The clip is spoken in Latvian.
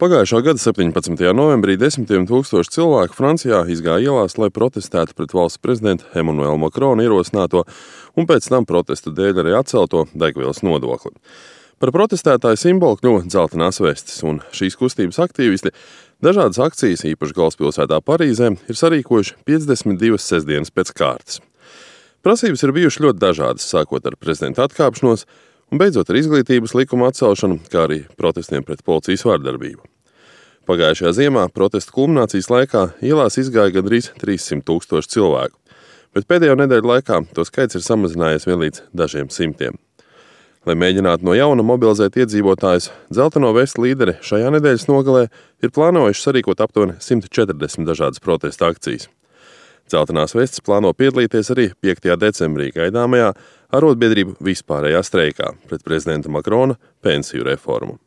Pagājušā gada 17. novembrī desmitiem tūkstoši cilvēku Francijā izgāja ielās, lai protestētu pret valsts prezidenta Emmanuela Macrona ierosināto un pēc tam protestu dēļ arī atcelto degvielas nodokli. Par protestētāju simbolu kļuva dzeltenās vestes, un šīs kustības aktīvisti dažādas akcijas, īpaši galvaspilsētā Parīzē, ir sarīkojuši 52 sestdienas pēc kārtas. Prasības ir bijušas ļoti dažādas, sākot ar prezidenta atkāpšanos un beidzot ar izglītības likuma atcelšanu, kā arī protestiem pret policijas vardarbību. Pagājušajā ziemā protestu kulminācijas laikā ielās izgāja gandrīz 300 000 cilvēku, bet pēdējo nedēļu laikā to skaits ir samazinājies vien līdz dažiem simtiem. Lai mēģinātu no jauna mobilizēt iedzīvotājus, dzelteno vestu līderi šajā nedēļas nogalē ir plānojuši sarīkot aptuveni 140 dažādas protesta akcijas. Dzeltenās vestes plāno piedalīties arī 5. decembrī gaidāmajā arotbiedrību vispārējā streikā pret prezidenta Macrona pensiju reformu.